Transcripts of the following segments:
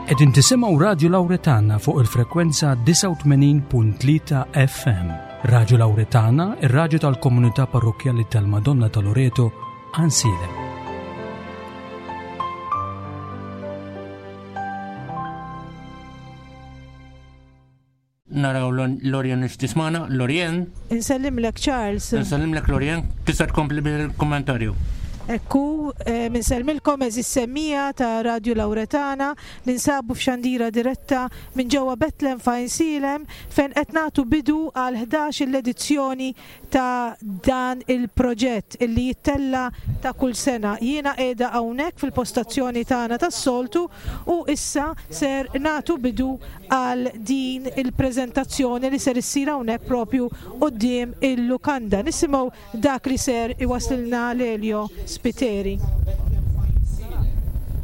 Qegħdin tisimgħu Radju Lawretana fuq il-frekwenza 89.3 FM. Radju Lawretana, ir-radju tal-komunità parrokkjali tal-Madonna ta' Loreto, Għansielem. Naraw Lorien tismana, Lorien. Insellimlek Charles. Insellimlek Lorien, tista' tkompli bil-kommentarju. Ekku, eh, minsellmilkom eżis semmija ta' Radio Lauretana, ninsabu f'xandira diretta minn ġewwa Betlem f'Għajnsielem fejn qed nagħtu bidu għal 11 l-edizzjoni ta' dan il-proġett illi jittella' ta' kull sena. Jiena qiegħda hawnhekk fil-postazzjoni tagħna tas-soltu u issa ser nagħtu bidu għal din il-preżentazzjoni li ser issir hawnhekk propju quddiem il-lukanda. Nisimgħu dak li ser iwasslilna Lelio Spiteri.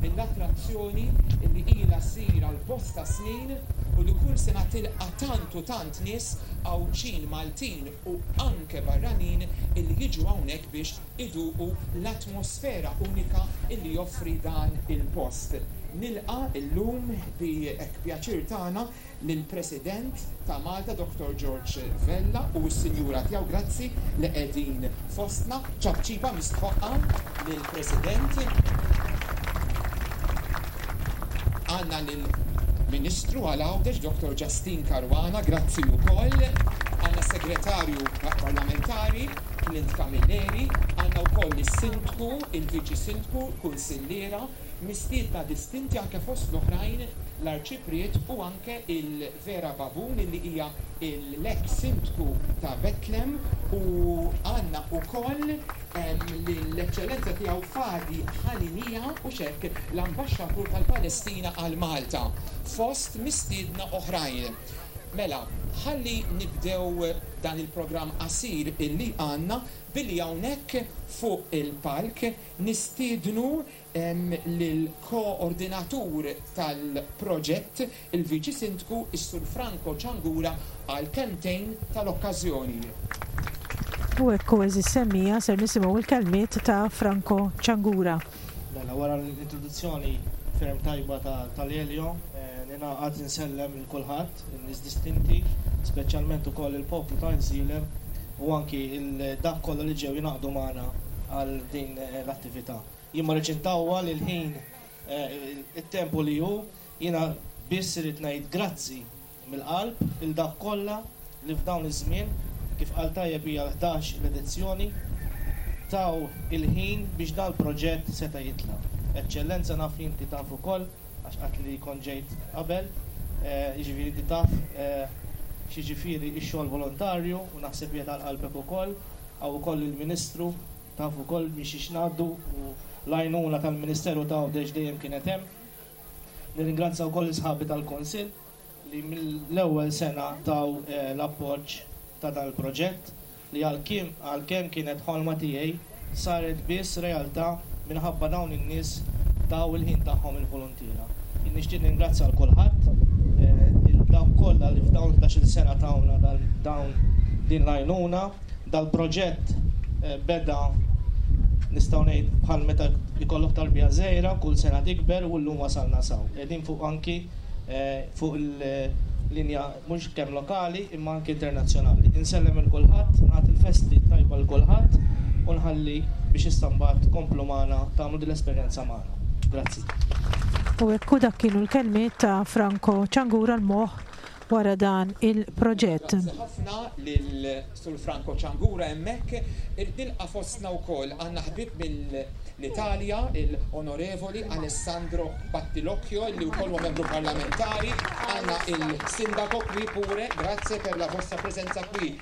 Din l-attrazzjoni li ilha ssir għal bosta snin u li kull sena tilqa' tant u tant nies Għawdxin, Maltin u anke barranin illi jiġu hawnhekk biex iduqu l-atmosfera unika illi joffri dan il-post. Nilqa' llum bi hekk pjaċir tagħna lill-President ta' Malta Dottor George Vella u s-Sinjura tiegħu. Grazzi li qegħdin fostna. Ċapċipa mistħoqqa lill-President. Għandna lill-Ministru għal Għawdex Dottor Justyne Caruana, grazzi wkoll. Għandna s-Segretarju Parlamentari Clint Camilleri, għandna wkoll is-Sindku, il-Viċi Sindku, Kunsilliera, mistiedna distinti anke fost l-oħrajn l-Arċipriet u anke il-Vera Babun illi hija l-eks Sindku ta' Betlem u għandna wkoll lill-Eċċellenza Tiegħu Fadi Haniniya u x'hekk l-Ambaxxatur tal-Palestina għal Malta, fost mistiedna oħrajn. Mela, ħalli nibdew dan il-programm qasir illi għandna billi hawnhekk fuq il-palk nistiednu lill-koordinatur tal-proġett, il-Viċi Sindku, is-Sur Franco Ciangura għal kelmtejn tal-okkażjoni. U hekk hu għeżież semmiegħa ser nisimgħu l-kelmiet ta' Franco Ciangura. Mela wara l-introduzzjoni ferm tajba ta' Lelio, ningħaqad insellem lil kulħadd, in-nies distinti, speċjalment ukoll il-poplu ta' Għajnsielem u anki dak kollha li ġew jingħaqdu magħna għal din l-attività. Jien ma rridx intawwal il-ħin it-temp hu li hu, jiena biss irrid ngħid grazzi mill-qalb lil dawk kollha li f'dawn iż-żmien, kif qal tajjeb hija l-ħdax il-edizzjoni, taw il-ħin biex dal-proġett seta' jitla'. Eċċellenza naf li inti taf ukoll għax għedt li kont ġejt qabel, jiġifieri inti taf x'jiġifieri x-xogħol volontarju u naħseb qiegħed għal qalbek ukoll. Hawn ukoll il-Ministru Taf ukoll minn xiex ngħaddu u l-għajnuna tal-Ministeru ta' Għawdex dejjem kienet hemm. Nirringrazzja wkoll lil sħabi tal-Kunsill li mill-ewwel sena taw l-appoġġ ta' dan il-proġett li għalkemm kienet ħolma tiegħi saret biss realtà minħabba dawn in-nies taw il-ħin tagħhom il-voluntiera. Jien nixtieq nirringrazzja 'l kulħadd, lil dawk kollha li f'dawn il-ħdax-il sena tawna dawn din l-għajnuna. Dal-proġett beda nistgħu ngħid bħal meta jkollok tarbija żgħira, kull sena tikber u llum wasalna s'hawn. Qegħdin fuq anki fuq il-linja mhux kemm lokali imma anki internazzjonali. Insellem 'il kulħadd, nagħti l-festi t-tajba 'l kulħadd u nħalli biex issa mbagħad tkomplu magħna tagħmlu din l-esperjenza magħna. Grazzi. U hekk hu dak kienu l-kelmiet ta' Franco Ciangura l-moħħ wara dan il-proġett. Grazzi ħafna lil Sur Franco Ciangura hemmhekk. Irrid nilqa' fostna wkoll għandna ħbieb mill-Italja, il-Onorevoli Alessandro Battilocchio li wkoll huwa membru parlamentari. Għandna il-Sindaco qui pure, grazie per la vostra presenza qui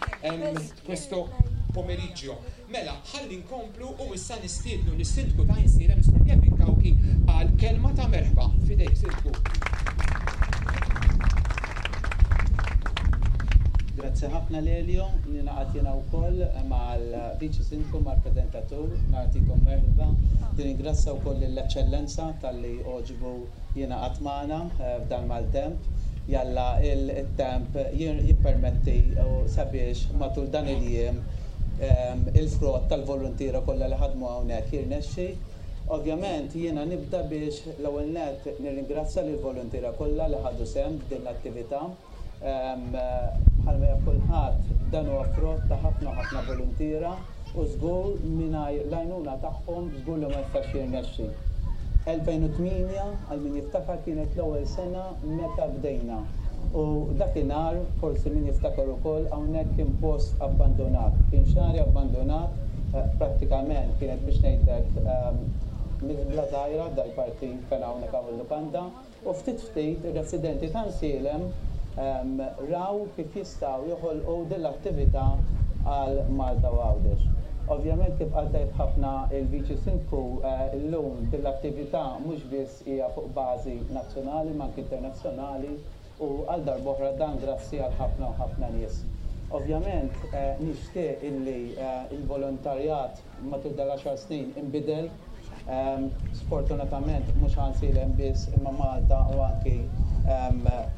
questo pomeriggio. Mela, ħalli nkomplu u issa nistiednu lis-Sindku ta' Għajnsielem, is-Sur Kevin Cauchi, għal kelma ta' merħba. F'idejk, Sindku. Grazzi ħafna Lelio, ningħaqad jiena wkoll mal-Viċi Sindku mal-preżentatur, nagħtikom merħba. Nirringrazzja wkoll lill-Eċċellenza talli għoġbu jingħaqad magħna f'dan maltemp. Jalla il-temp jippermetti sabiex matul dan il-jiem il-frott tal-voluntiera kollha li ħadmu hawnhekk jirnexxi. Ovvjament jiena nibda biex l-ewwel nett nirringrazzja lill-voluntiera kollha li ħadu sehem f'din l-attività. Bħalma jaf kulħadd dan huwa frott ta' ħafna u ħafna voluntiera u żgur mingħajr l-għajnuna tagħhom żgur li ma jistax jirnexxi. 2008 għal min jiftakar kienet l-ewwel sena meta bdejna u dakinhar forsi min jiftakar ukoll hawnhekk kien post abbandunat, kien xagħri abbandunat prattikament kienet biex ngħidlek miżbla żgħira dal-parti fejn hawnhekk hawn il-lukanda. U ftit ftit ir-residenti ta' Nsielem raw kif jistgħu joħolqu din l-attività għal Malta u Għawdex. Ovvjament kif qal tajjeb ħafna il-Viċi Sindku llum din l-attività mhux biss hija fuq bażi nazzjonali imma anki internazzjonali u għal darb'oħra dan grazzi għal ħafna u ħafna nies. Ovvjament nixtieq illi l-volontarjat matul dal-għaxar snin inbidel. Sfortunatament mhux Għansielem biss imma Malta u anki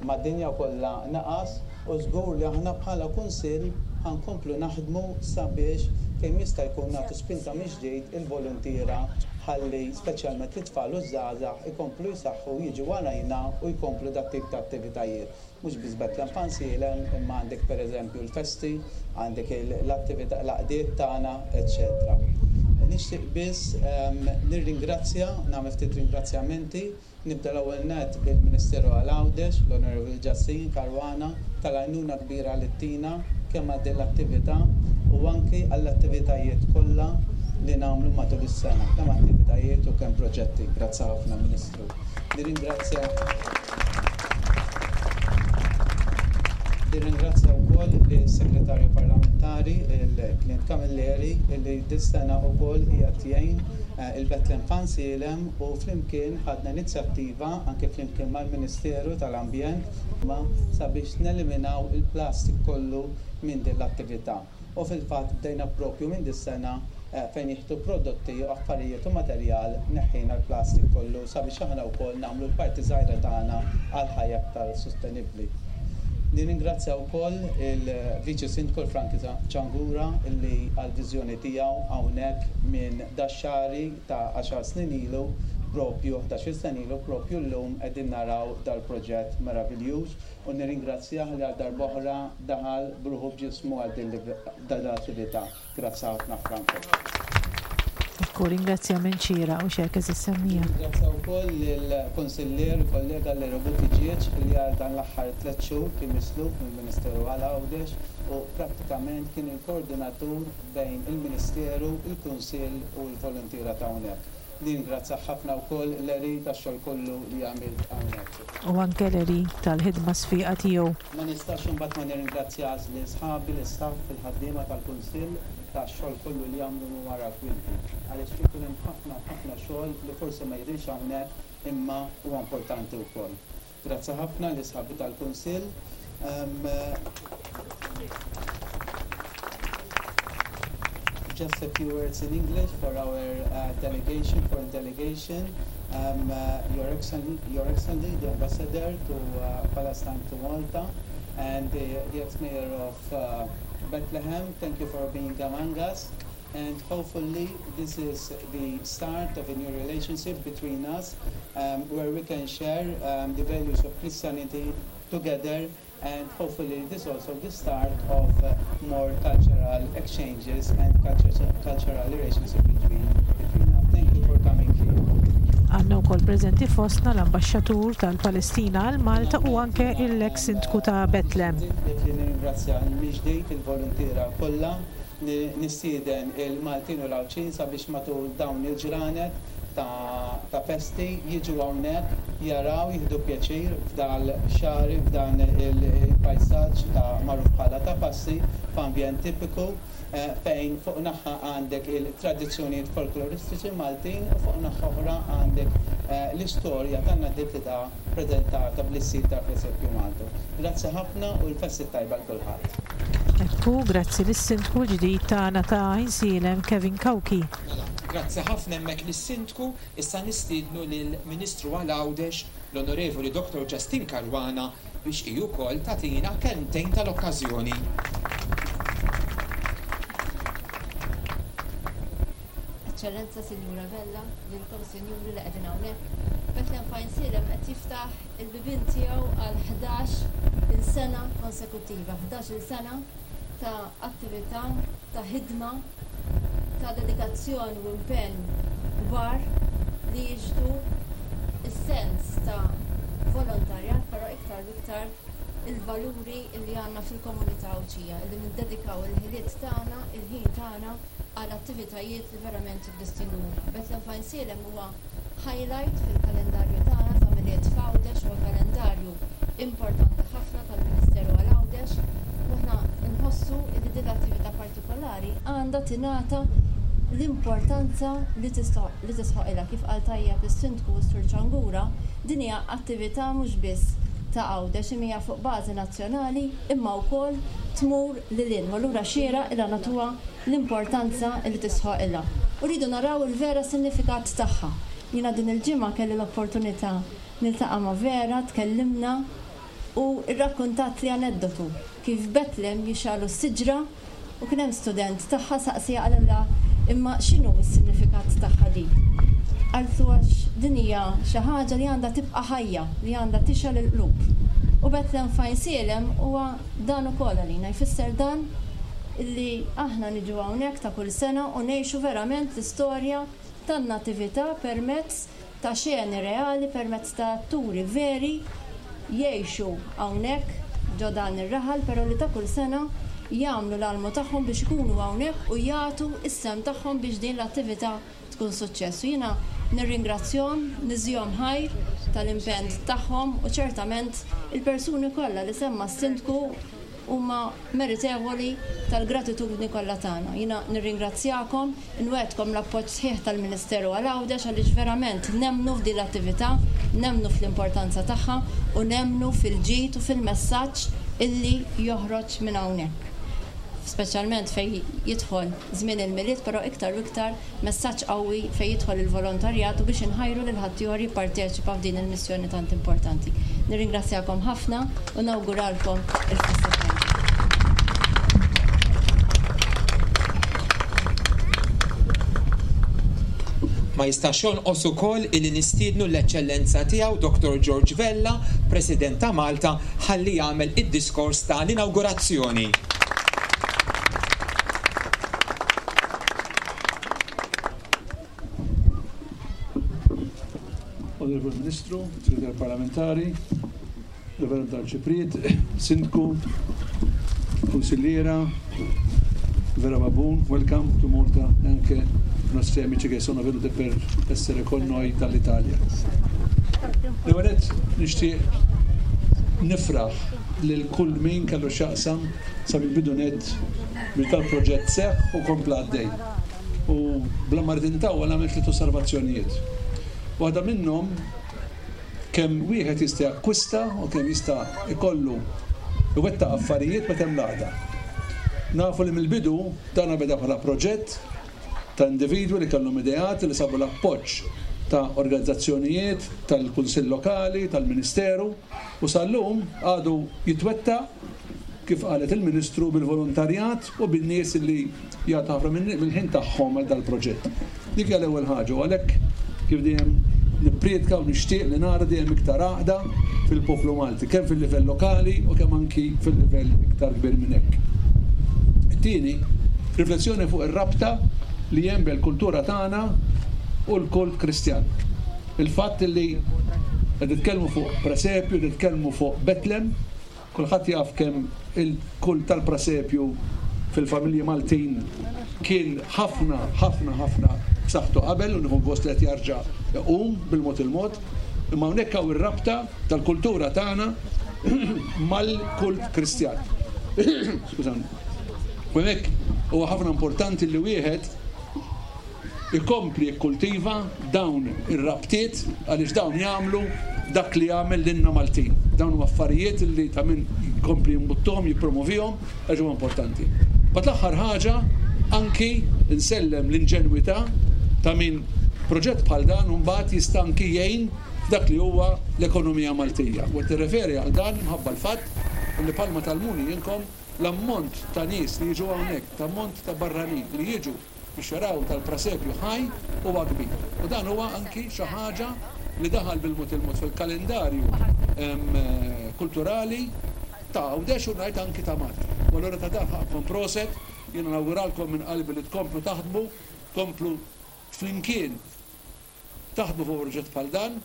mad-dinja kollha naqas u żgur li aħna bħala Kunsill ħa nkomplu naħdmu sabiex kemm jista' jkun nagħtu spinta mill-ġdid il-voluntiera ħalli speċjalment it-tfal u ż-żgħażagħ ikomplu jsaħħu jiġu warajna u jkomplu dat-tip ta' attivitajiet. Mhux biss Bethlehem Fansielem, imma għandek pereżempju l-festi, għandek l-attività, l-għaqdiet tagħna, eċċetera. Nixtieq biss nirringrazzja, nagħmel ftit ringrazzjamenti. Nibda l-ewwel nett bil-Ministeru għal Għawdex, l-Onorevoli Justine Caruana, tal-għajnuna kbira li ttina kemm għal din l-attività u anki għall-attivitajiet kollha li nagħmlu matul is-sena, kemm attivitajiet u kemm proġetti. Grazzi ħafna, Ministru. Nirringrazzja Nirringrazzja wkoll lis-Segretarju Parlamentari, il-Clint Camilleri, li dis-sena wkoll qiegħed jgħin il-Bethlehem Fansielem u flimkien ħadna inizjattiva anke flimkien mal-Ministeru tal-Ambjent sabiex neliminaw il-plastik kollu minn din l-attività. U fil-fatt bdejna proprju minn dis-sena fejn jieħdu prodotti u affarijiet u materjal neħħejna l-plastik kollu sabiex aħna wkoll nagħmlu l-parti żgħira tagħna għal ħajja aktar sostenibbli. Nirringrazzja wkoll il-Viċi Sindku l-Frank Ciangura li għall-viżjoni tiegħu hawnhekk minn dax-xagħri ta' għaxar snin ilu proprju ħdax-il sena ilu proprju llum qegħdin naraw dal-proġett meraviljuż u nirringrazzjah li għal darb'oħra daħal b'ruħu b'ġismu għal din l-attività. Grazzi ħafna Franco. Ekku, ringrazzjament xieraq u x'hekk eżiż semmiegħa. Nirringrazzja wkoll lill-Kunsillier u kollega Lero Buttigieg li għal dan l-aħħar tlett xhur kien misluf mill-Ministeru għal Għawdex u prattikament kien il-koordinatur bejn il-Ministeru, il-Kunsill u l-voluntiera ta' hawnhekk. Nirringrazzjah ħafna wkoll Larry tax-xogħol kollu li għamilt hawnhekk. U anke Larry tal-ħidma sfiqa tiegħu. Ma nistax imbagħad ma nirringrazzjax lil sħabi, l-istaff, il-ħaddiema tal-Kunsill tax-xogħol kollu li jagħmlu minn wara l-kwinti. Għaliex ikun hemm ħafna u ħafna xogħol li forsi ma jidhirx hawnhekk imma huwa importanti wkoll. Grazzi ħafna li sħabi tal-Kunsill. Just a few words in English for our uh, delegation, foreign delegation. Um, uh, Your, Excel Your Excellency, the Ambassador to uh, Palestine to Malta, and the, the ex-mayor of uh, Bethlehem, thank you for being among us. And hopefully this is the start of a new relationship between us um, where we can share um, the values of Christianity together and hopefully this also the start of uh, more cultural exchanges and culture, cultural relationship between, between us. Thank you for coming here. Għandna wkoll preżenti fostna l-Ambaxxatur tal-Palestina għal Malta u anke l-eks Sindku ta' Betlem. Nirringrazzja mill-ġdid il-voluntiera kollha Nistieden il-Maltin u l-Għawdxin sabiex matul dawn il-ġranet ta' festi jiġu hawnhekk, jaraw, jieħdu pjaċir f'dal-xagħri, f'dan il-pajsaġġ ta' magħruf bħala ta' passi, f'ambjent tipiku fejn fuq naħa għandek il-tradizzjonijiet folkloristiċi Maltin u fuq naħa oħra għandek l-istorja tan-natività preżentata bl-istil tal-presepju Malti. Grazzi ħafna u l-festi t-tajba 'l kulħadd. Ekku, grazzi lis-Sindku l-ġdid tagħna ta' Għajnsielem Kevin Cauchi. Mela, grazzi ħafna hemmhekk lis-Sindku, issa nistiednu lill-Ministru għal Għawdex, l-Onorevoli Dottor Justyne Caruana biex hi wkoll tagħtina kelmtejn tal-okkażjoni. Eċċellenza Sinjura Vella, lilkom Sinjuri li qegħdin hawnhekk. Bethlehem f'Għajnsielem qed jiftaħ il-bibien tiegħu għal 11-il sena konsekuttiva, 11-il sena ta' attività, ta' ħidma, ta' dedikazzjoni u impenn kbar li jixhdu s-sens ta' volontarjat però iktar u iktar il-valuri li għandna fil-komunità Għawdxija, li niddedikaw il-ħiliet tagħna, il-ħin tagħna għal attivitajiet li verament jiddistingwuna. Bethlehem F'Għajnsielem huwa highlight fil-kalendarju tagħna ta' Milied f'Għawdex, huwa kalendarju importanti ħafna tal-Ministeru għal Għawdex u aħna nħossu li din l-attività partikolari għandha tingħata l-importanza li tisħoqilha. Kif qal tajjeb is-Sindku u s-Sur Ciangura, din hija attività mhux biss ta' Għawdex imma hija fuq bażi nazzjonali imma wkoll tmur lil hinn u allura xieraq ilha nagħtuha l-importanza li tisħoqilha. U rridu naraw il-vera sinifikat tagħha. Jiena din il-ġimgħa kelli l-opportunità niltaqa' ma' Vera, tkellimna u rrakkuntatli aneddotu kif f'Betlem jixgħalu s-siġra u kien hemm student tagħha saqsieha qalilha imma x'inhu s-sinifikat tagħha din? Qaltlu għax din hija xi ħaġa li għandha tibqa' ħajja, li għandha tixgħel il-qlub. U Betlem f'Għajnsielem huwa dan ukoll għalina, jfisser dan illi aħna niġu hawnhekk ta' kull sena u ngħixu verament l-istorja tan-Natività permezz ta' xeni reali permezz ta' atturi veri jgħixu hawnhekk ġo dan ir-raħal però li ta' kull sena jagħmlu l-almu tagħhom biex ikunu hawnhekk u jagħtu s-sehem tagħhom biex din l-attività tkun suċċess. U jiena nirringrazzjahom, niżihom ħajr tal-impenn tagħhom u ċertament il-persuni kollha li semma s-Sindku huma meritevoli tal-gratitudni kollha tagħna. Jiena nirringrazzjakom, inwegħdkom l-appoġġ sħiħ tal-Ministeru għal Għawdex għaliex verament nemmnu f'din l-attività, nemmnu fl-importanza tagħha u nemmnu fil-ġid u fil-messaġġ illi joħroġ minn hawnhekk. Speċjalment fejn jidħol żmien il-Milied però iktar u iktar messaġġ qawwi fejn jidħol il-volontarjat u biex inħajru lil ħaddieħor jipparteċipa f'din il-missjoni tant importanti. Nirringrazzjakom ħafna u nawguralkom il-festa tajba. Ma jistax jonqos ukoll illi nistiednu l-Eċċellenza Tiegħu Dottor George Vella, President ta' Malta, ħalli jagħmel id-diskors ta' l-inawgurazzjoni. Onorevoli Ministru, Segretarju Parlamentari, Reverend Arċipriet, Sindku, Consigliera, Vera Babun, welcome to Malta e anche i nostri amici che sono venuti per essere con noi dall'Italia. L-ewwel nett nixtieq nifraħ lil kull min kellu x'jaqsam sa mill-bidu nett biex dal-proġett seħħ u kompla għaddej. U bla ma rrid intawwal nagħmel tliet osservazzjonijiet. Waħda minnhom kemm wieħed jista' jakkwista u kemm jista' jkollu iwettaq affarijiet meta hemm l-għaqda. Nafu li mill-bidu dan beda bħala proġett ta' individwi li kellhom ideat li sabu l-appoġġ ta' organizzazzjonijiet, tal-Kunsill Lokali, tal-Ministeru u sal-lum għadu jitwettaq kif qalet il-Ministru bil-volontarjat u bin-nies li jagħtu ħafna mill-ħin tagħhom għal dal-proġett. Dik hija l-ewwel ħaġa u għalhekk kif dejjem nipprietka u nixtieq li nara dejjem iktar għaqda fil-poplu Malti, kemm fil-livell lokali u kemm anki fil-livell iktar kbir minn hekk. It-tieni, riflessjoni fuq ir-rabta li hemm bejn il-kultura tagħna u l-kult Kristjan. Il-fatt li qed nitkellmu fuq presepju, nitkellmu fuq Betlem, Kulħadd jaf kemm il-kult tal-presepju fil-familji Maltin kien ħafna, ħafna, ħafna b'saħħtu qabel u nieħu gost li qed jarġa' jqum bil-mod il-mod. Imma hawnhekk hawn ir-rabta tal-kultura tagħna mal-kult Kristjan. Skużawni. U hemmhekk huwa ħafna importanti li wieħed ikompli jikkultiva dawn ir-rabtiet għaliex dawn jagħmlu dak li jagħmel lilna Maltin. Dawn huma affarijiet li ta' min jkompli jimbuttuhom, jippromovihom għax huma importanti. Mbagħad l-aħħar ħaġa anki nsellem l-inġenwità ta' min proġett bħal dan imbagħad jista' anki jgħin f'dak li huwa l-ekonomija Maltija. U qed nirreferi għal dan minħabba l-fatt li bħalma tgħallmuni inkom l-ammont ta' nies li jiġu hawnhekk, l-ammont ta' barranin li jiġu. biex jaraw tal-presepju ħaj huwa kbir. U dan huwa anki xi ħaġa li daħal bil-mod il-mod fil-kalendarju kulturali ta' Għawdex u ngħid anki ta' Malta. U allura ta' dan ħaqqkom proset, jiena nawguralkom minn qalbi li tkomplu taħdmu, tkomplu flimkien taħdmu fuq proġett bħal dan.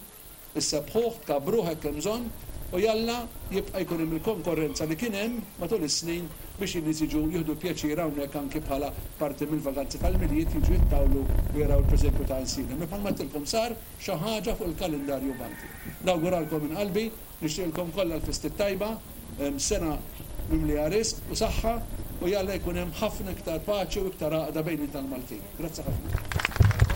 Issebbħuh, tkabbruh hekk hemm bżonn, u jalla jibqa' jkun hemm il-konkorrenza li kien hemm matul is-snin biex in-nies jiġu jieħdu pjaċir hawnhekk anki bħala parti mill-vaganzi tal-Milied jiġu jittawlu u jaraw il-preżempju ta' Għajnsielem li bħalma għedtilkom sar xi ħaġa fuq il-kalendarju Malti. Nawguralkom minn qalbi, nixtieqilkom kollha l-festi t-tajba, sena mimlija risq u saħħa u jalla jkun hemm ħafna iktar paċi u iktar għaqda bejnietna l-Maltin. Grazzi ħafna.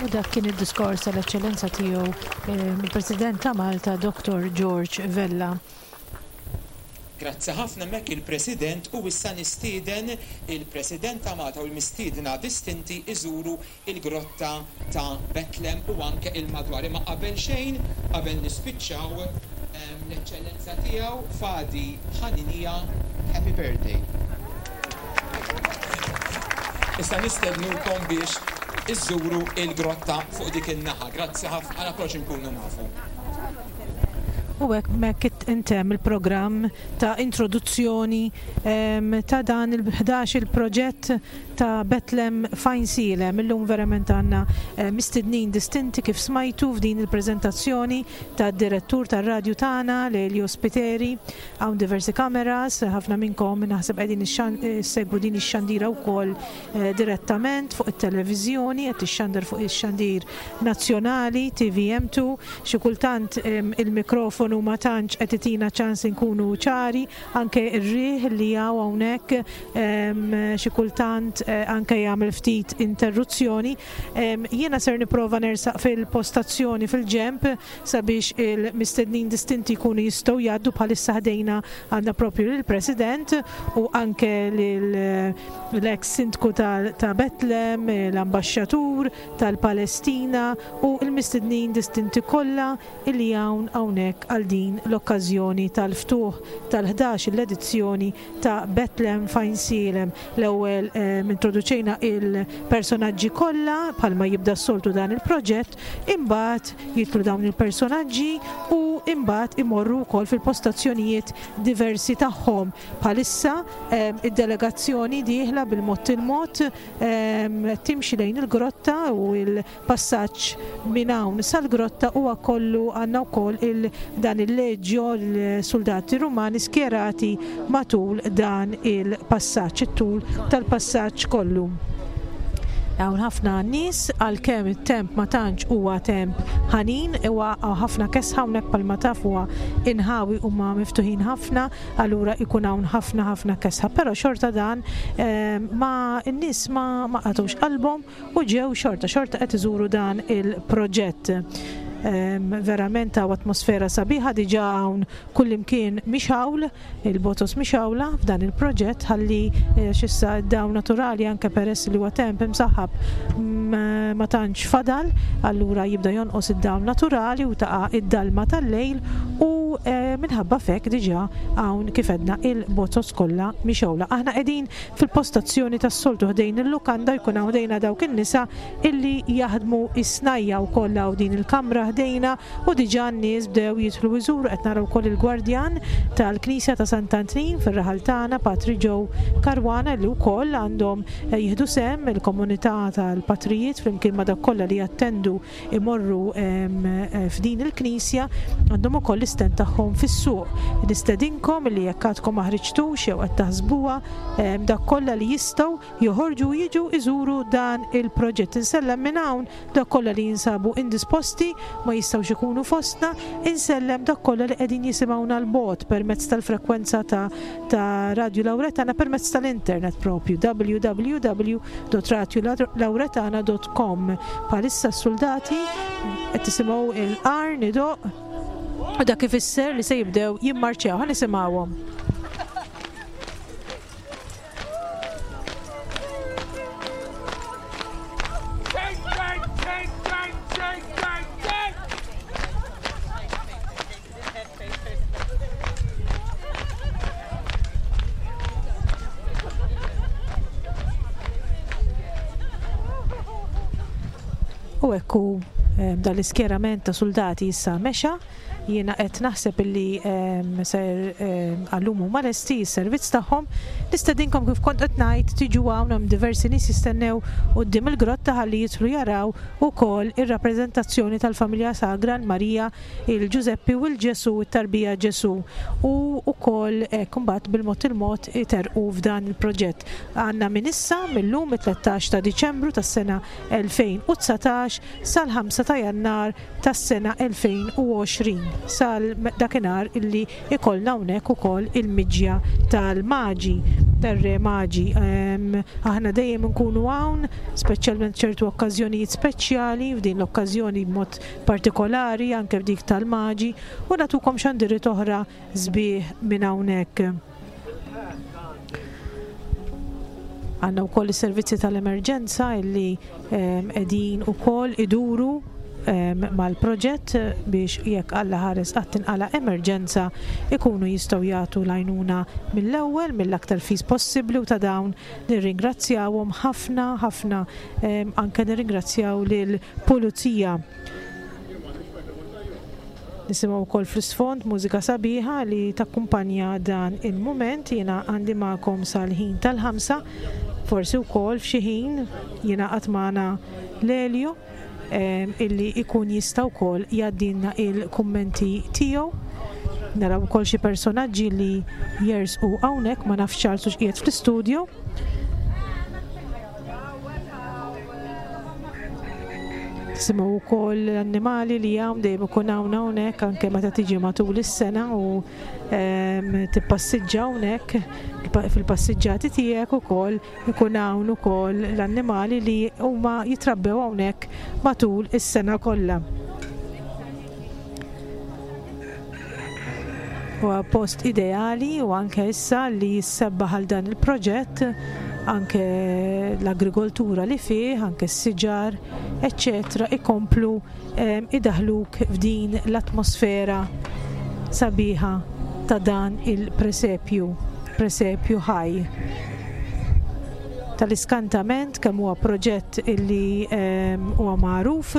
U dak kien id-diskors tal-Eċċellenza Tiegħu il-President ta' Malta Dottor George Vella. Grazzi ħafna hemmhekk il-President u issa nistieden il-President ta' Malta u l-mistiedna distinti iżuru il-grotta ta' Betlem u anke il-madwar. Imma qabel xejn, qabel nispiċċaw, l-Eċċellenza Tiegħu Fadi Ħaninija, Happy Birthday. Issa nistednukom biex iżżuru il-grotta fuq dik in-naħa. Grazzi ħafna, għala kollox inkunu nafu. U hekk hemmhekk intemm il-programm ta' introduzzjoni ta' dan il-11 il-proġett ta' Betlem f'Għajnsielem. Illum verament għandna mistednin distinti kif smajtu f'din il-preżentazzjoni tad-direttur tar-radju tagħna Lelio Spiteri. Hawn diversi kameras, ħafna minnkom naħseb qegħdin issegwu din ix-xandira wkoll direttament fuq it-televiżjoni, qed tixxandar fuq ix-xandir nazzjonali TVM2. Xi kultant il-mikrofonu ma tantx qed itina ċans inkunu ċari, anke r-riħ li hawn hawnhekk xi kultant anke jagħmel ftit interruzzjoni. Jiena ser nipprova nersaq fil-postazzjoni fil-ġenb sabiex il-mistednin distinti jkunu jistgħu jgħaddu. Bħalissa ħdejna għandna propju lill-President u anke l-ex sindku ta' Betlem, l-ambaxxatur tal-Palestina u l-mistednin distinti kollha li hawn hawnhekk għal din l-okkażjoni tal-ftuħ tal-11 l-edizzjoni ta' Betlem f'Għajnsielem. L-ewwel introduċejna il-personaġġi kollha bħalma jibda s-soltu dan il-proġett, imbagħad jidħlu dawn il-personaġġi u imbagħad imorru wkoll fil-postazzjonijiet diversi tagħhom. Bħalissa id-delegazzjoni dieħla bil-mod il-mod timxi lejn il-grotta u l Passaġġ minn hawn sal-grotta huwa kollu għandna wkoll il dan il-leġjo l-suldati Rumani skjerati matul dan il-passaġġ, it-tul tal-passaġġ kollu. Hawn ħafna nies għalkemm it-temp ma tantx huwa temp ħanin, huwa ħafna kesħa hawnhekk bħalma taf huwa inħawi huma miftuħin ħafna, allura jkun hawn ħafna ħafna kesħa. Però xorta dan ma n-nies ma ma qatgħux qalbhom u ġew xorta xorta qed iżuru dan il-proġett. Verament hawn atmosfera sabiħa diġà hawn kullimkien mixgħul, il-botos mixgħula f'dan il-proġett ħalli eh, x'issa d-dawl naturali anke peress li huwa temp imsaħħab ma tantx fadal, allura jibda jonqos id-dawl naturali u taqa' id-dalma tal-lejl u eh, minħabba f'hekk diġà hawn kif għedna il-botos kollha mixgħula. Aħna qegħdin Fil-postazzjoni tas-soltu ħdejn il-lukanda jkun hawn ħdejna dawk in-nisa illi jaħdmu s-snajja' wkoll hawn din il-kamra ħdejna u diġà n-nies bdew jidħlu jżuru qed nara wkoll il-gwardjan tal-Knisja ta' Sant'Antnin fir-raħal tagħna Patri Joe Caruana illi wkoll għandhom jieħdu sehem il-komunità tal-patrijiet flimkien ma' dawk kollha li jattendu imorru f'din il-knisja għandhom ukoll l-istand tagħhom fis-suq. Nistedinkom li jekk għadkom ma ħriġtux jew qed taħsbuha dawk kollha li jistgħu joħorġu u jiġu iżuru dan il-proġett. Insellem minn hawn dawk kollha li jinsabu indisposti ma jistgħux ikunu fostna, insellem dawk kollha li qegħdin jisimgħuna 'l bogħod permezz tal-frekwenza ta' ta' Radju Lauretana permezz tal-internet propju www.radiolauretana.com. Bħalissa s-suldati qed tisimgħu il-qarn idoqq u dak ifisser li se jibdew jimmarċjaw. Ħa nisimgħuhom. U hekk hu dan l-iskjerament ta' suldati issa mexa. Jiena qed naħseb illi ser għallum huma lesti s-servizz tagħhom. Nistedinkom kif kont qed ngħid tiġu hawn hemm diversi nies jistennew quddiem il-grotta ħalli jidħlu jaraw ukoll ir-rappreżentazzjoni tal-familja sagra l-Marija, il-Ġużeppi u l-Ġesù, it-tarbija Ġesù u wkoll hekk imbagħad bil-mod il-mod iterrqu f'dan il-proġett. Għandna minn issa, mil-lum it-13 ta' Diċembru tas-sena 2019 sal-5 ta' Jannar tas-sena 2020 sal dakinhar illi ikollna hawnhekk ukoll il-miġja tal-Maġi, tar-Re Maġi. Aħna dejjem inkunu hawn, speċjalment ċertu okkażjonijiet speċjali, f'din l-okkażjoni b'mod partikolari anke f'dik tal-Maġi, u nagħtukom xandiriet oħra sbieħ minn hawnhekk. Għandna wkoll is-servizzi tal-emerġenza illi qegħdin ukoll iduru mal-proġett biex jekk Alla ħares qatt tinqala' emerġenza ikunu jistgħu jagħtu l-għajnuna mill-ewwel, mill-aktar fis possibbli u ta' dawn nirringrazzjawhom ħafna ħafna anke nirringrazzjaw lill-Pulizija. Nisimgħu wkoll fl-isfond mużika sabiħa li takkumpanja dan il-mument. Jiena għandi magħkom sal-ħin tal-ħamsa, forsi wkoll f'xi ħin jingħaqad magħna Lelio illi jkun jista' wkoll jgħaddilna il-kummenti tiegħu. Naraw ukoll xi personaġġi li jersqu hawnhekk, ma nafx Charles hux qiegħed fl-istudio. Nisimgħu wkoll l-annimali li hawn dejjem ikun hawn hawnhekk anke meta tiġi matul is-sena u ehm, tippassiġġa hawnhekk fil-passiġġati tiegħek ukoll ikun hawn ukoll l-annimali li huma jitrabbew hawnhekk matul is-sena kollha. Huwa post ideali u anke issa li jissebbaħ għal dan il-proġett anke l-agrikoltura li fih, anke s-siġar, eċċetera, ikomplu ehm, idaħluk f'din l-atmosfera sabiħa ta' dan il-presepju, presepju ħaj. Tal-iskantament kemm huwa proġett illi ehm, huwa magħruf,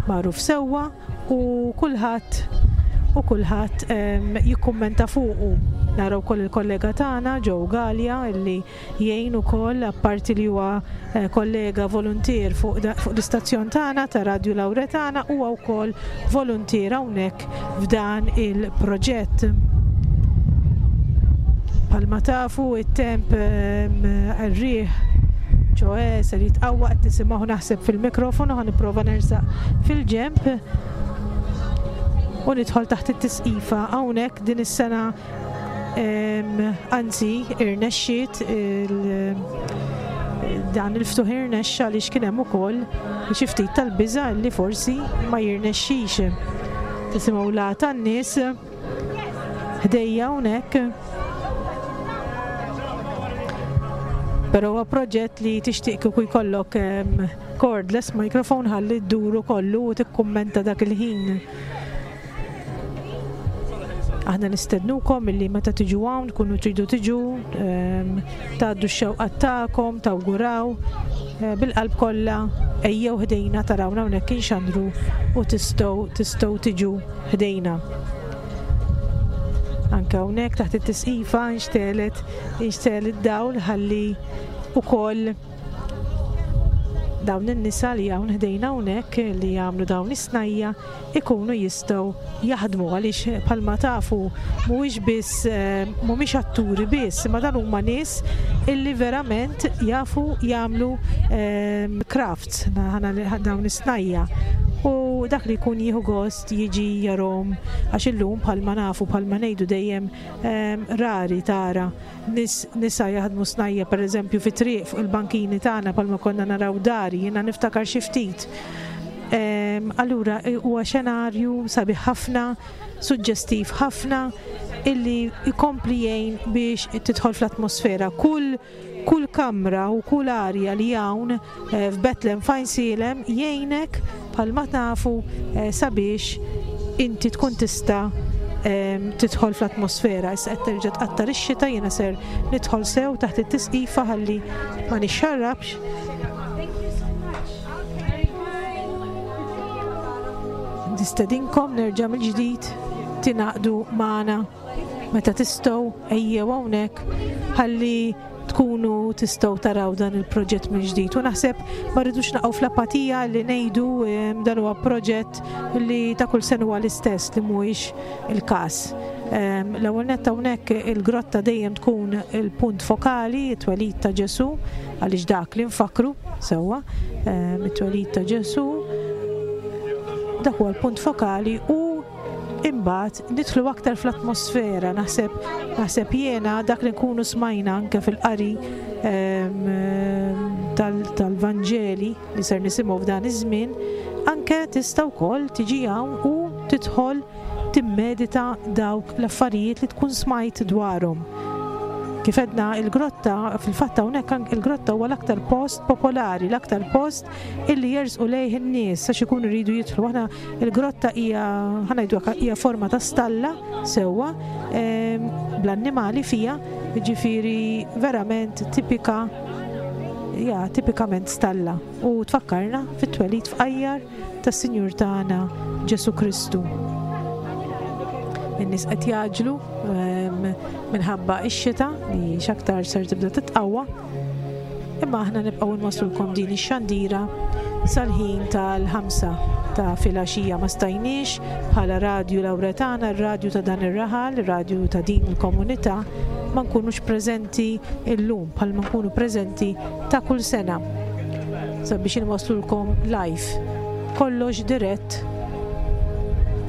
magħruf sewwa, u kulħadd u kulħadd jikkummenta fuqu. Nara wkoll il-kollega tagħna Joe Galea illi jgħin ukoll apparti li huwa eh, kollega voluntier fuq l-istazzjon tagħna ta' Radju Lawretana huwa wkoll voluntier hawnhekk f'dan il-proġett. Bħalma tafu it-temp ir-riħ ċoe ser jitqawwa qed nisimgħu naħseb fil-mikrofonu ħa nipprova nersaq fil-ġenb u nidħol taħt it-tisqifa hawnhekk din is-sena anzi irnexxiet dan il-ftuħ irnexxa għaliex kien hemm ukoll xi ftit tal-biża' li forsi ma jirnexxix. Tisimgħu la tan-nies ħdejja hawnhekk. Però huwa proġett li tixtieq kieku jkollok cordless microphone ħalli dduru kollu u tikkummenta dak il-ħin. Aħna nistednukom illi meta tiġu hawn tkunu tridu tiġu tgħaddu x-xewqat tagħkom, tawguraw eh, bil-qalb kollha ejjew ħdejna tarawna hawnhekk inxandru u tistgħu tistgħu tiġu ħdejna. Anke hawnhekk taħt it-tisqifa nxtelet inxtel id-dawl ħalli ukoll dawn in-nisa li hawn ħdejna hawnhekk li jagħmlu dawn is-snajja ikunu jistgħu jaħdmu għaliex bħalma tafu mhuwiex biss eh, mhumiex atturi biss imma dan huma nies illi verament jafu jagħmlu eh, crafts dawn is-snajja u dak li jkun jieħu gost jiġi jarhom għax illum bħalma nafu bħalma ngħidu dejjem eh, rari tara Nies, nisa jaħdmu snajja' pereżempju fit-triq fuq il-bankini tagħna bħalma konna naraw dari, jiena niftakar xi ftit. Allura huwa xenarju sabiħ ħafna, suġġestiv ħafna illi jkompli jgħin biex tidħol fl-atmosfera. Kull kull kamra u kull arja li hawn eh, f'Bethlehem f'Għajnsielem jgħinek bħalma tafu eh, sabiex inti tkun tista' ehm, tidħol fl-atmosfera. Issa qed terġa' tqattar ix-xita jiena ser nidħol sew taħt it-tisqifa ħalli ma nixxarrabx. Nistedinkom nerġa' mill-ġdid tingħaqdu magħna meta tistgħu ejjew hawnhekk ħalli tkunu tistgħu taraw dan il-proġett mill-ġdid. U naħseb ma rridux naqgħu fl-apatija li ngħidu dan huwa proġett li ta' kull sena huwa l-istess li mhuwiex il-każ. L-ewwel nett hawnhekk il-grotta dejjem tkun il-punt fokali, it-twelid ta' Ġesù, għaliex dak li nfakkru sewwa, it-twelid ta' Ġesù, dak huwa l-punt fokali u imbagħad nidħlu aktar fl-atmosfera, naħseb naħseb jiena dak li nkunu smajna anke fil-qari tal-Vanġeli li ser nisimgħu f'dan iż-żmien, anke tista' wkoll tiġi hawn u tidħol timmedita dawk l-affarijiet li tkun smajt dwarhom. Kif għedna il-grotta, fil-fatt hawnhekk il-grotta huwa l-aktar post popolari, l-aktar post illi jersqu lejh in-nies għax ikunu jridu jidħlu. Aħna il-grotta hija ħa ngħidu hekk hija forma ta' stalla sewwa bl-annimali fiha, jiġifieri verament tipika ja tipikament stalla u tfakkarna fit-twelid fqajjar tas-Sinjur tagħna Ġesù Kristu. In-nies qed jgħaġġlu minħabba x-xita li x'aktar ser tibda titqawwa. Imma aħna nibqgħu nwasslulkom din ix-xandira sal-ħin tal-ħamsa ta' filgħaxija. Ma stajniex bħala Radju Lawretana, r-radju ta' dan ir-raħal, ir-radju ta' din il-komunità, ma nkunux preżenti llum bħalma nkunu preżenti ta' kull sena sabiex inwasslulkom live kollox dirett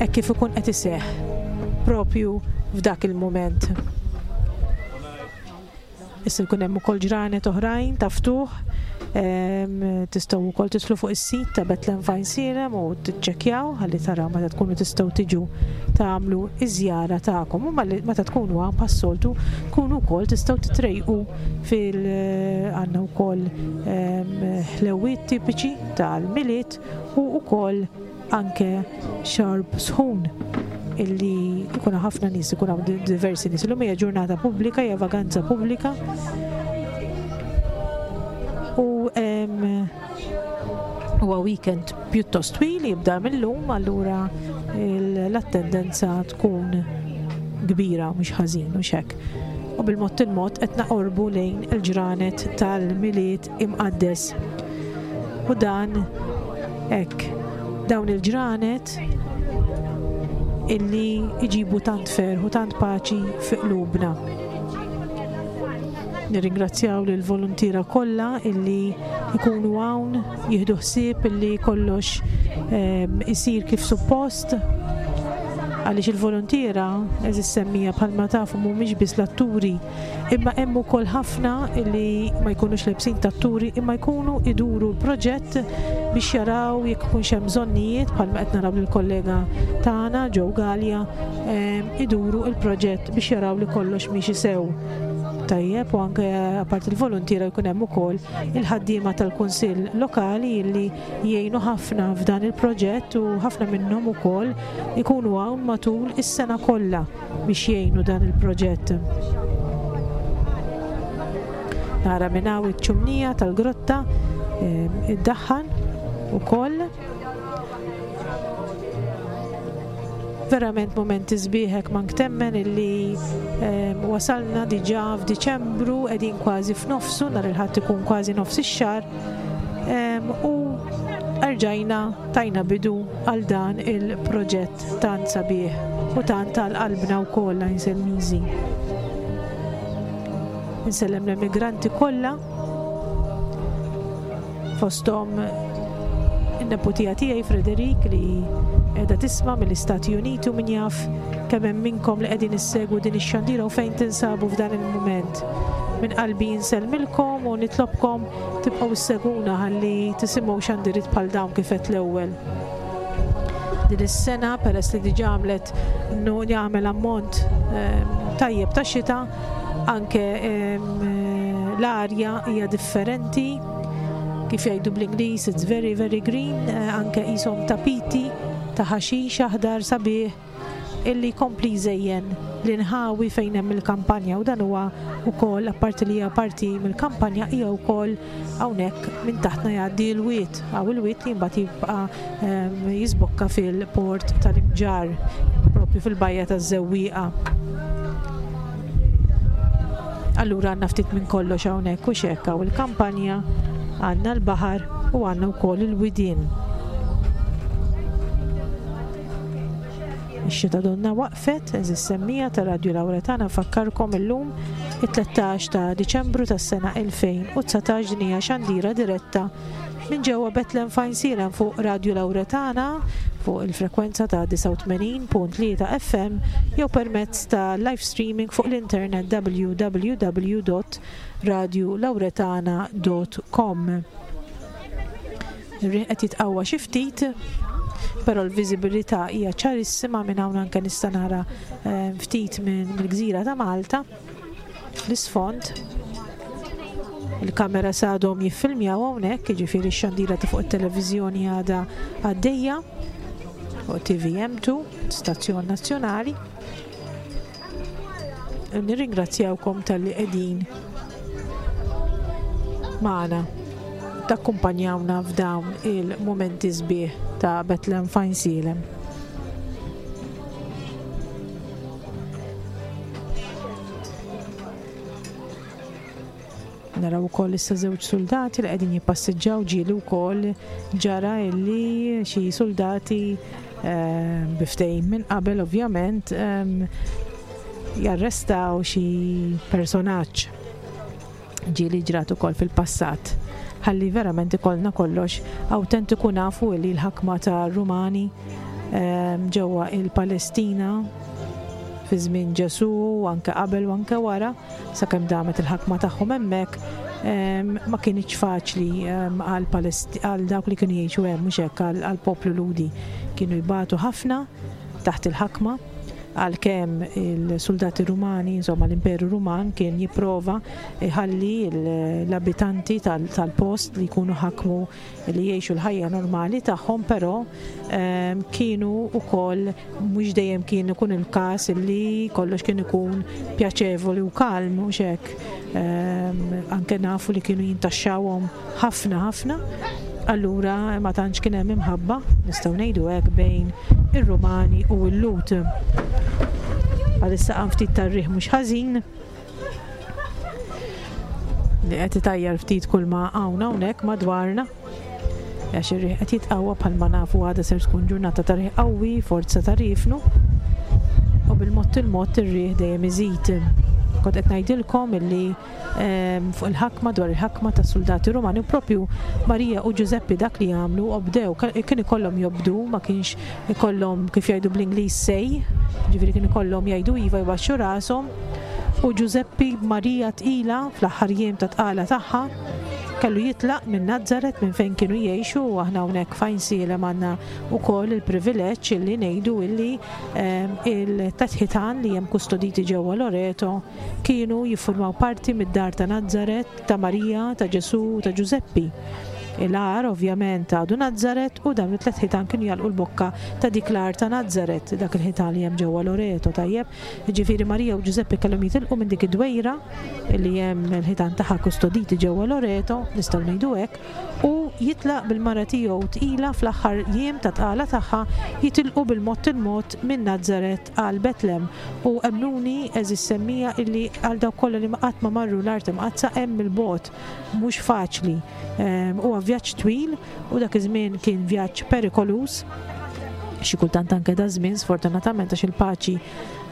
hekk kif ikun qed iseħħ propju f'dak il-mument. Issa jkun hemm ukoll ġranet oħrajn ta' ftuħ. Tistgħu wkoll tidħlu fuq is-sit ta' Bethlehem Fine Sirem u tiċċekkjaw ħalli taraw meta tkunu tistgħu tiġu tagħmlu iż-żjara tagħkom. U meta tkunu hawn bħas-soltu tkunu wkoll tistgħu titrejqu fil għandna wkoll ħlewwiet tipiċi tal-Milied u wkoll anke xorb sħun illi jkun ħafna nies, ikun hawn diversi nies. Illum hija ġurnata pubblika, hija vaganza pubblika. U huwa weekend pjuttost twil jibda mill-lum, allura l-attendenza tkun kbira mhux ħażin u hekk. U bil-mod il-mod qed naqorbu lejn il-ġranet tal-Milied imqaddes. U dan hekk dawn il-ġranet illi jġibu tant ferħ u tant paċi fi qlubna. Nirringrazzjaw lil voluntiera kollha illi jkunu hawn jieħdu ħsieb illi kollox isir kif suppost għaliex il-voluntiera eżis semmija bħalma tafu mhumiex biss l-atturi Imma hemm ukoll ħafna li ma jkunux lebsin tat-turi imma jkunu iduru l-proġett biex jaraw jekk ikunx hemm bżonnijiet bħalma qed naraw lill-kollega tagħna Joe Galea iduru l-proġett biex jaraw li kollox miexi sew. Tajjeb u anke apart il-voluntiera jkun hemm ukoll il-ħaddiema tal-Kunsill Lokali li jgħinu ħafna f'dan il-proġett u ħafna minnhom ukoll ikunu hawn matul is-sena kollha. biex jgħinu dan il-proġett. Nara minn hawn iċ-ċumnija tal-grotta iddaħħan ukoll. Verament mumenti sbieħ hekk mank temmen illi wasalna diġà f'Diċembru qegħdin kważi f'nofsu nhar il-Ħadd ikun kważi nofs ix-xahar u erġajna tajna bidu għal dan il-proġett. Tant sabiħ u tant għal qalbna wkoll Għajnselmiżi. Insellem l-emigranti kollha fosthom in-neputija tiegħi Frederik li qiegħda tisma' mill-Istati Uniti u min jaf kemm hemm minnkom li qegħdin issegwu din ix-xandira u fejn tinsabu f'dan il-mument. Minn qalbi insellmilkom u nitlobkom tibqgħu ssegwuna ħalli tisimgħu xandiriet bħal dawn kif għedt l-ewwel. Din is-sena peress li diġà għamlet jagħmel ammont tajjeb ta' xita, anke l-arja hija differenti. Kif jgħidu bl-Ingliż, it's very very green, anke qishom tapiti ta' ħaxix aħdar sabiħ. illi jkompli jżejjen l-inħawi fejn hemm il-kampanja u dan huwa wkoll apparti li hija parti mill-kampanja hija wkoll hawnhekk minn taħtna jgħaddi l-wied hawn il-wied li mbagħad jibqa' ehm, jisbokka fil-port tal-Imġarr propju fil-bajja taż-Żewwieqa. Allura għandna ftit minn kollox hawnhekk u xekk hawn il-kampanja, għandna l-baħar u għandna wkoll il-widien. Ix-xita donna waqfet, eżis semmija ta' Radju Lawretana nfakkarkom illum it-13 ta' Diċembru tas-sena 2019 din hija xandira diretta minn ġewwa Bethlehem f'Għajnsielem fuq Radju Lawretana fuq il-frekwenza ta' 89.3 FM jew permezz ta' live streaming fuq l-internet www.radiolawretana.com. Ir-riħ qed jitqawwa xi ftit, però l-viżibilità hija ċarissima minn hawn anke nista' nara eh, ftit minn mill-gżira ta' Malta fl-isfond. Il-kamera sadhom jiffilmjaw hawnhekk, jiġifieri x-xandira ta' fuq it-televiżjoni għadha għaddejja fuq TVM2, stazzjon nazzjonali. Nirringrazzjawkom talli qegħdin magħna takkumpanjawna f'dawn il-mumenti sbieħ ta' Bethlehem f'Għajnsielem. Naraw ukoll issa żewġ suldati li qegħdin jippassiġġaw ġieli wkoll ġara illi xi suldati eh, bi ftehim minn qabel ovvjament ehm, jarrestaw xi personaġġ ġieli ġrat ukoll fil-passat. Ħalli verament ikollna kollox awtentiku nafu li l-ħakma ta' Rumani ehm, ġewwa il-Palestina fi żmien Ġesù anke qabel u anke wara sakemm damet il-ħakma tagħhom hemmhekk, ma kinitx faċli għal dawk li kienu jgħixu hemm, mhux hekk, għall-poplu Lhudi. Kienu jbatu ħafna taħt il-ħakma, għalkemm il-suldati Rumani, insomma l-Imperu Ruman kien jipprova jħalli l-abitanti tal-post li jkunu ħakmu li jgħixu l-ħajja normali tagħhom, però kienu wkoll Mhux dejjem kien ikun il-każ li kollox kien ikun pjaċevoli u kalm, mhux hekk. Ehm, anke nafu li kienu jintaxxawhom ħafna ħafna, allura ma tantx kien hemm imħabba, nistgħu ngħidu hekk bejn ir-Rumani u l-Lut. Bħalissa qam ftit tar-riħ mhux ħażin li qed itajjar ftit kull ma hawn hawnhekk madwarna. Għax ir-riħ qed jitqawwa bħalma nafu għada ser tkun ġurnata ta' riħ qawwi, forza ta' riefnu. U bil-mod il-mod ir-riħ dejjem iżid. Kont qed ngħidilkom illi ehm, fuq il-ħakma dwar il-ħakma tas soldati Rumani u propju Marija u Ġużeppi dak li għamlu obdew, kien ikollhom jobdu, ma kienx ikollhom kif jgħidu bl-Ingliż sej, ġifieri kien ikollhom jgħidu iva jbaxxu rashom. U Ġużeppi Marija tqila fl-aħħar jiem ta' tqala tagħha Kellu jitlaq minn Nazaret minn fejn kienu jgħixu u aħna hawnhekk f'Għajnsielem għandna wkoll il-privileġġ illi ngħidu illi ehm, il-tetħitan li hemm kustoditi ġewwa Loreto kienu jiffurmaw parti mid-dar ta' Nazaret, ta' Marija, ta' Ġesù u ta' Ġużeppi. Il-għar ovvjament għadu Nazaret u dawn it-tlet ħitan kienu jagħlqu l-bokka ta' dik l-għar ta' Nazaret, dak il-ħitan li hemm ġewwa Loreto, tajjeb. Jiġifieri Marija u Ġużeppi kellhom jitilqu minn dik id-dwejra li hemm il-ħitan tagħha kustoditi ġewwa Loreto, nistgħu ngħidu hekk, u jitlaq bil-mara tiegħu tqila fl-aħħar jiem ta' tqala tagħha jitilqu bil-mod il-mod minn Nazaret għal Betlem. U emmnuni, għeżież semmiegħa, illi għal dawk kollha li qatt ma marru l-Art Imqaddsa hemm il-bogħod mhux faċli. Ehm, huwa vjaġġ twil u dak iż-żmien kien vjaġġ perikoluż xi kultant anke da żmien sfortunatament għax il-paċi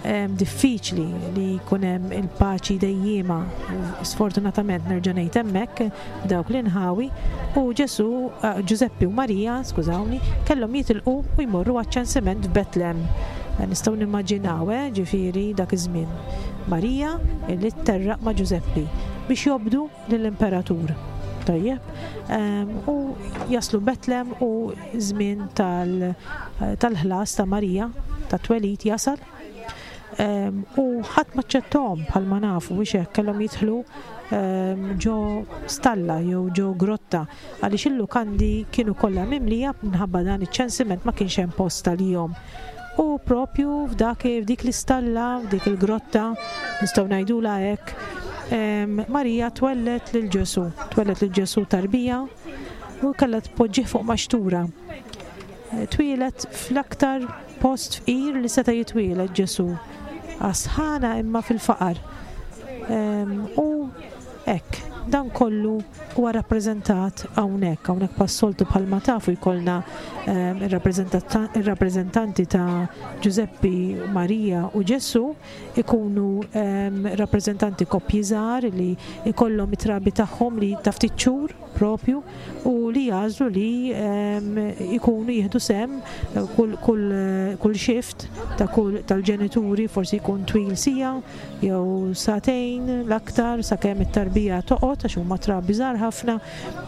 ehm, diffiċli li jkun hemm il-paċi dejjiema sfortunatament nerġa' ngħid hemmhekk dawk l-inħawi u Ġesu eh, Ġużeppi u Marija, skużawni, kellhom jitilqu u jmorru għaċ-ċensiment f'Betlem. Eh, nistgħu nimmaġinaw, eh, ġifieri dak iż-żmien. Marija li tterraq ma' Ġużeppi biex jobdu lill-imperatur. Tajjeb. Ehm, u jaslu Betlem u żmien tal-ħlas ta' Marija ta' twelid jasal. Ehm, u ħadd ma ċċettom bħalma nafu biex hekk kellhom jidħlu ehm, ġo stalla jew ġo grotta għaliex il-lukandi kienu kollha mimlija minħabba dan iċ-ċensiment ma kienx hemm post għalihom. U propju f'dak f'dik l-istalla, f'dik il-grotta, nistgħu ngħidulha hekk, Marija twellet lil Ġesù, twellet lil Ġesù tarbija u kellha tpoġġih fuq maxtura. Twieled fl-aktar post fqir li seta' jitwieled Ġesù, għas-sħana imma fil-faqar. U hekk, dan kollu huwa rappreżentat hawnhekk. Hawnhekk bħas-soltu bħalma tafu jkollna ir-rappreżentanti ta' Ġużeppi, Marija u Ġesù ikunu rappreżentanti koppji żgħar li jkollhom it-trabi tagħhom li ta' ftit xhur propju u li jagħżlu li jkunu jieħdu sehem kull kull kull shift ta' kull tal-ġenituri forsi jkun twil siegħa jew sagħtejn l-aktar sakemm it-tarbija toqgħod għax huma trabi żgħar ħafna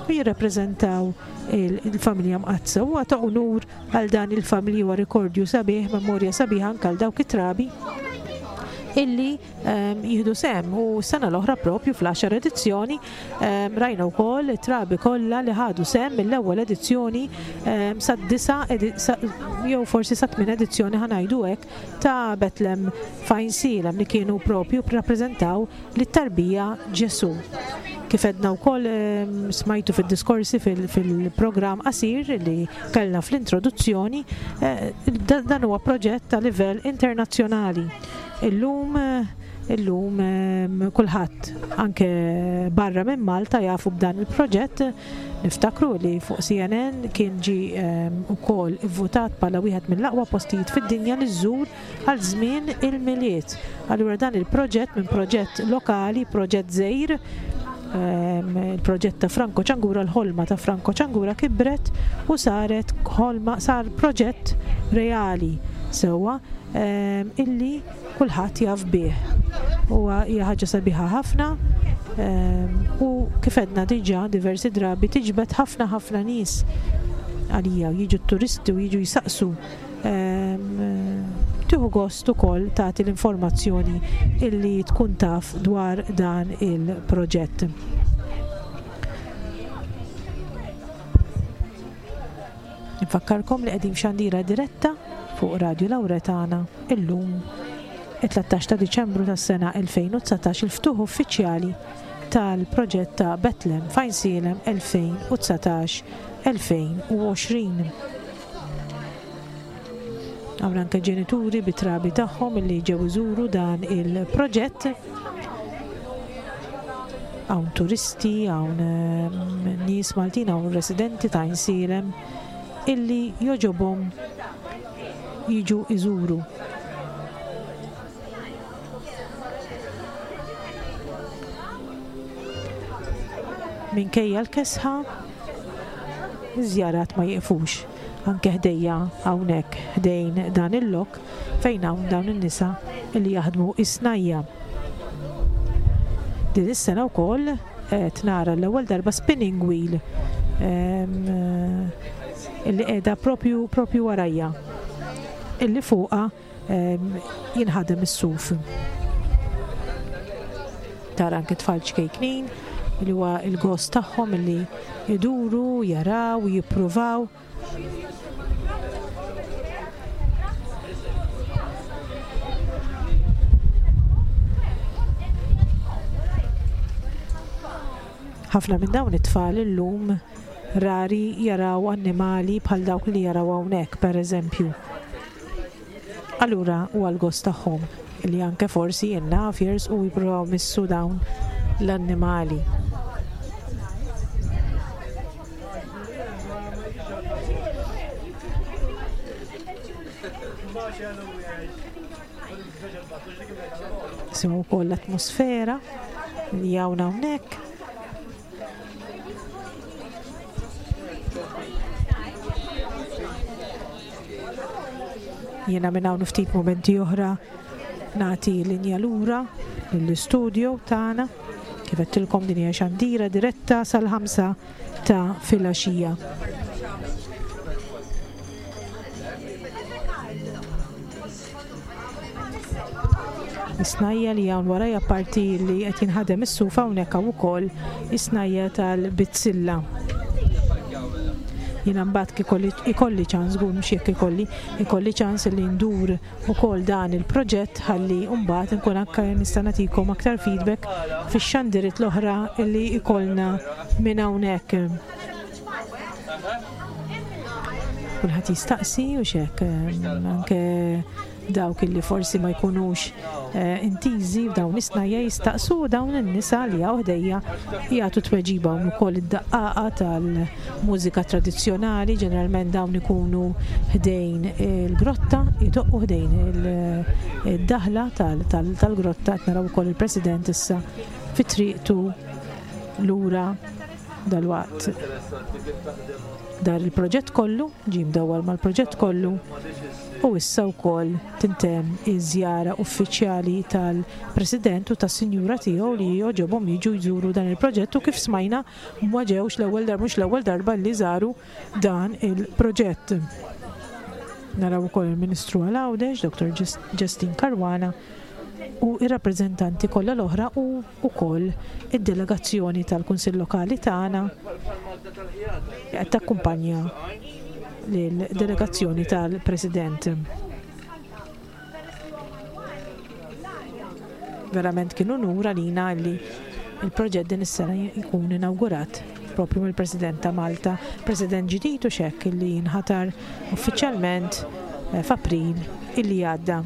u jirrappreżentaw il-familja mqaddsa. Huwa ta' unur għal dan il-familji huwa rikordju sabiħ, memorja sabiħa anke għal dawk it-trabi illi jieħdu sehem u s-sena l-oħra propju fl-għaxar edizzjoni rajna wkoll it-trabi kollha li ħadu sehem mill-ewwel edizzjoni sad-disa' jew forsi sa tmien edizzjoni ħa ngħidu hekk ta' Betlem f'Għajnsielem li kienu propju rrappreżentaw lit-tarbija Ġesù. Kif għedna wkoll smajtu fid-diskorsi fil-programm qasir li kellna fl-introduzzjoni, dan huwa proġett ta' livell internazzjonali. Illum illum kulħadd anke barra minn Malta jafu b'dan il-proġett. Niftakru li fuq CNN kien ġie wkoll ivvutat bħala wieħed mill-aqwa postijiet fid-dinja li żżur għal żmien il-Milied. Allura dan il-proġett minn proġett lokali, proġett żgħir, il-proġett ta' Franco Ciangura, l-ħolma ta' Franco Ciangura kibret u saret ħolma, sar proġett reali sewwa illi kulħadd jaf bih. Huwa hija ħaġa sabiħa ħafna u kif għedna diġà diversi drabi tiġbed ħafna ħafna nies għalija jiġu t-turisti u jiġu jsaqsu. Tieħu gost ukoll tagħti l-informazzjoni illi tkun taf dwar dan il-proġett. Nfakkarkom li qegħdin f'xandira diretta fuq Radju Lauretana illum it-13 ta' Diċembru tas-sena 2019 il-ftuħ uffiċjali tal-proġett ta' Betlem f'Għajnsielem 2019-2020. Hawn anke ġenituri bit-trabi tagħhom li ġew iżuru dan il-proġett. Hawn turisti, hawn nies Maltin, hawn residenti ta' Għajnsielem illi jogħġobhom jiġu iżuru. Minkejja l-kesħa, iż-żjarat ma jiqfux. Anke ħdejja hawnhekk ħdejn dan il-lok fejn hawn dawn in-nisa li jaħdmu is-snajja. Din is-sena wkoll qed nara l-ewwel darba spinning wheel illi qiegħda propju propju warajja illi fuqha jinħadem is-suf. Tara anke tfal ċkejknin li huwa l-gost tagħhom illi iduru, jaraw, jippruvaw. Ħafna minn dawn it-tfal illum rari jaraw annimali bħal dawk li jaraw hawnhekk, pereżempju. Allura huwa l-gost tagħhom li anke forsi jien naf jersqu u jippruvaw jmissu dawn l-annimali. Nisimgħu wkoll l-atmosfera li hawn hawnhekk. Jiena minn hawn ftit mumenti oħra nagħti linja lura lill-istudio tagħna. Kif għedtilkom din hija xandira diretta sal-ħamsa ta' filgħaxija. Is-snajja li hawn warajja apparti li qed jinħadem is-suf hawnhekk hawn ukoll is-snajja tal-bizzilla. Jiena mbagħad kif ikolli ċans, żgur mhux jekk ikolli, ikolli ċans li ndur ukoll dan il-proġett ħalli mbagħad inkun anke nista' nagħtikom aktar feedback fix-xandiriet l-oħra li jkollna minn hawnhekk. Kulħadd jistaqsi u xek anke dawk illi forsi ma jkunux eh, intiżi f'dawn is-snajja jistaqsu dawn in-nisa li hawn ħdejja jagħtu tweġiba hawn ukoll id-daqqaqa tal-mużika tradizzjonali, ġeneralment dawn ikunu ħdejn il-grotta, jdoqqu ħdejn il-daħla tal-grotta qed naraw ukoll il-President issa fi triqtu lura dalwaqt dar il-proġett kollu, ġie mdawwar mal-proġett kollu u issa wkoll tintemm iż-żjara uffiċjali tal-President u tas-Sinjura tiegħu li għoġobhom jiġu jżuru dan il-proġett u kif smajna ma ġewx l-ewwel darba mhux l-ewwel darba li żaru dan il-proġett. Naraw ukoll il-Ministru għal Għawdex, Dr. Justyne Caruana, u r-rappreżentanti kollha l-oħra u wkoll id-delegazzjoni tal-Kunsill Lokali tagħna li qed takkumpanja lill-delegazzjoni tal-President. Verament kien unur għalina li il-proġett din is-sena jkun inawgurat propju mill-President ta' Malta, President ġdid u xekk li nħatar uffiċjalment eh, f'April illi għadda.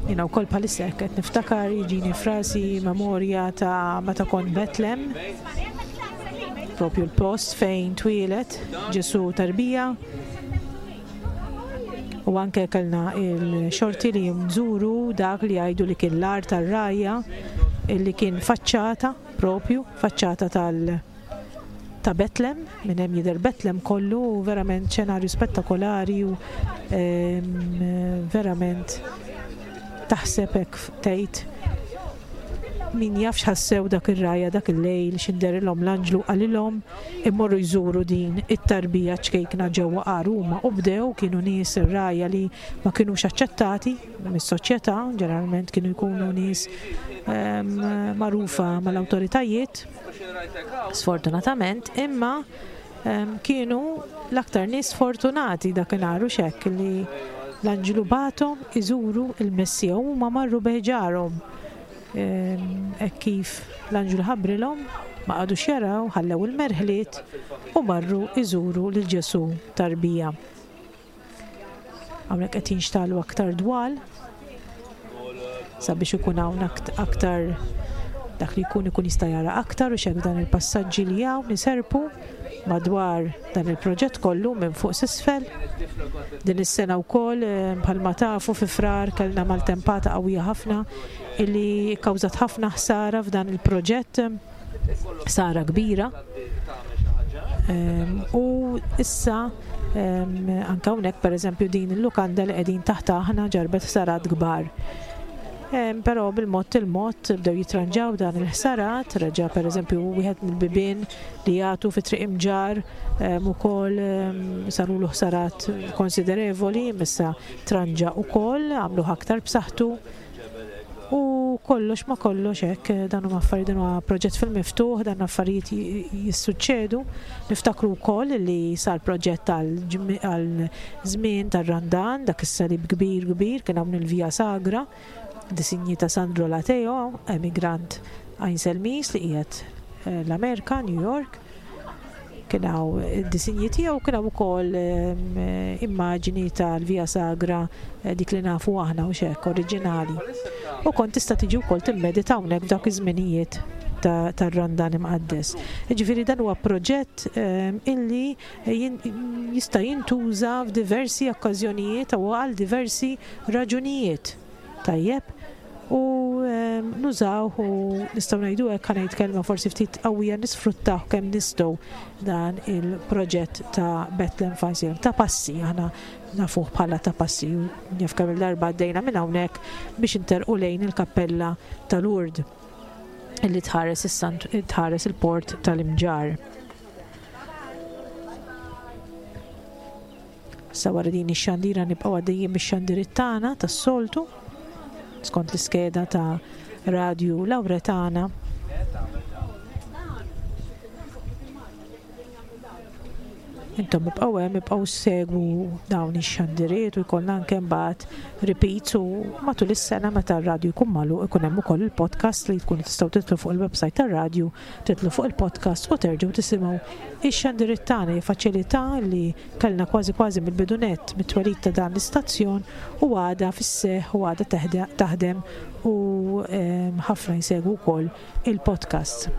Jiena wkoll bħalissa hekk qed niftakar jiġini frasi memorja ta' meta kont Betlem, propju l-post fejn twieled Ġesù tarbija. U anke kellna il-xorti li nżuru dak li jgħidu li kien l-art tar-rajja illi kien faċċata propju, faċċata tal- ta' Betlem, minn hemm jidher Betlem kollu u verament xenarju spettakolari u ehm, verament taħseb hekk tgħid min jaf x'ħassew dak ir-rajja dak il-lejl x'inderilhom l-anġlu qalilhom immorru jżuru din it-tarbija ċkejkna ġewwa għar huma u bdew kienu nies ir-rajja li ma kinux aċċettati mis-soċjetà, ġeneralment kienu jkunu nies ehm, magħrufa mal-awtoritajiet Sfortunatament, imma kienu l-aktar nies fortunati dakinhar u x'hekk li l-anġlu bagħathom iżuru l-Messija u huma marru bi ħġarhom. Hekk kif l-anġlu ħabbrilhom, ma qagħdux jaraw, ħallew il-merħliet u marru jżuru lil Ġesù tarbija. Hawnhekk qed jinxtalu aktar dwal sabiex ikun hawn aktar dak li jkun ikun jista' jara aktar u xek dan il-passaġġi li hawn iserpu madwar dan il-proġett kollu minn fuq s'isfel. Din is-sena wkoll eh, bħalma tafu fi Frar kellna maltempata qawwija ħafna illi kkawżat ħafna ħsara f'dan il-proġett. ħsara kbira. Ehm, u issa ehm, anke hawnhekk pereżempju din il-lukanda li qegħdin taħt aħna ġarbet ħsarat kbar. Ehm, però bil-mod il-mod bdew jitranġaw dan il-ħsarat, reġa' pereżempju wieħed mill-bibien li jagħtu fi triq imġar ukoll sarulu ħsarat konsiderevoli, issa tranġa ukoll, għamluh aktar b'saħħtu. U kollox ma kollox hekk, dan huma affarijiet, dan huwa proġett fil-miftuħ, dan affarijiet jissuċċedu. Niftakru wkoll li sar proġett għal żmien tar-Randan, dak is-salib kbir kbir kien hawn il-Via Sagra, disinji ta' Sandro Lateo, emigrant Għajnselmis li qiegħed eh, l-Amerika, New York. Kien hawn id-disinji tiegħu, kien hawn ukoll ehm, immaġini tal-Via Sagra eh, dik li nafu aħna u xek oriġinali. U kont tista' tiġi wkoll timmedita hawnhekk f'dawk iż-żminijiet tar-Randan imqaddes. Ġifieri dan huwa proġett ehm, illi jista' jintuża f'diversi okkażjonijiet u għal diversi raġunijiet. Tajjeb? U nużawh u nistgħu ngħidu hekk ħa ngħid kelma forsi ftit qawwija nisfruttawh kemm nistgħu dan il-proġett ta' Bethlehem Fajsir. Ta' passi, aħna nafuh bħala ta' passi, jaf kemm il-darba għaddejna minn hawnhekk biex interqu lejn il-kappella ta' Lourdes illi tħares tħares il-port tal-Imġarr. Issa wara din ix-xandira nibqgħu għaddejjin bix-xandiriet tagħna tas-soltu skont l-iskeda ta' Radju Lawretana. Intom ibqgħu hemm ibqgħu segwu dawn ix-xandiriet u jkollna anke mbagħad repeats u matul is-sena meta r-radju jkun magħluq ikun hemm ukoll il-podcast li tkunu tistgħu titlu fuq il-website tar-radju, titlu fuq il-podcast u terġgħu tisimgħu ix-xandiriet tagħna. Hija faċilità li kellna kważi kważi mill-bidu nett mit-twelid ta' dan l-istazzjon u għadha fis-seħħ u għadha taħdem u ħafna jsegwu wkoll il-podcast.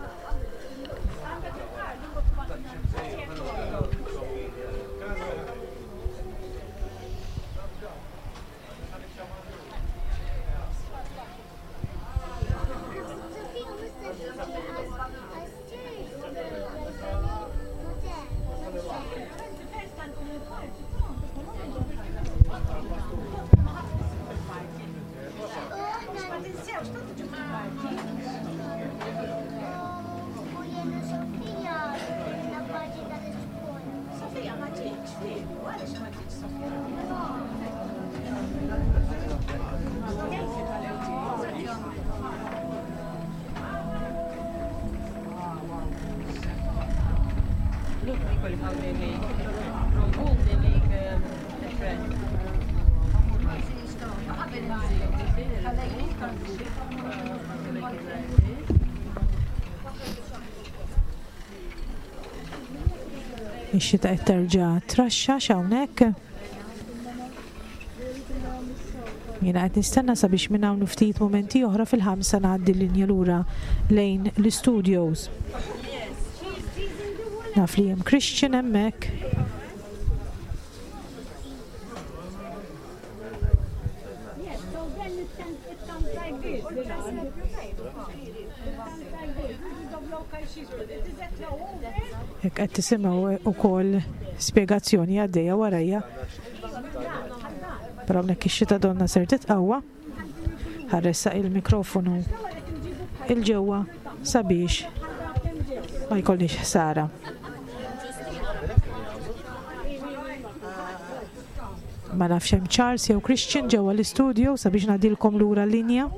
Ix-xita qed terġa' traxxax hawnhekk. Jiena qed nistenna sabiex minn hawn ftit mumenti oħra fil-ħamsa ngħaddi l-linja lura lejn l-istudios. Naf li hemm Christian hemmhekk. Jekk qed tisimgħu wkoll spjegazzjoni għaddejja warajja. Però hawnhekk ix-xita donna ser titqawwa. Ħarressaq il-mikrofonu il-ġewwa sabiex ma jkollniex ħsara. Ma nafx hemm Charles jew Christian ġewwa l-istudio sabiex ngħaddilkom lura l-linja.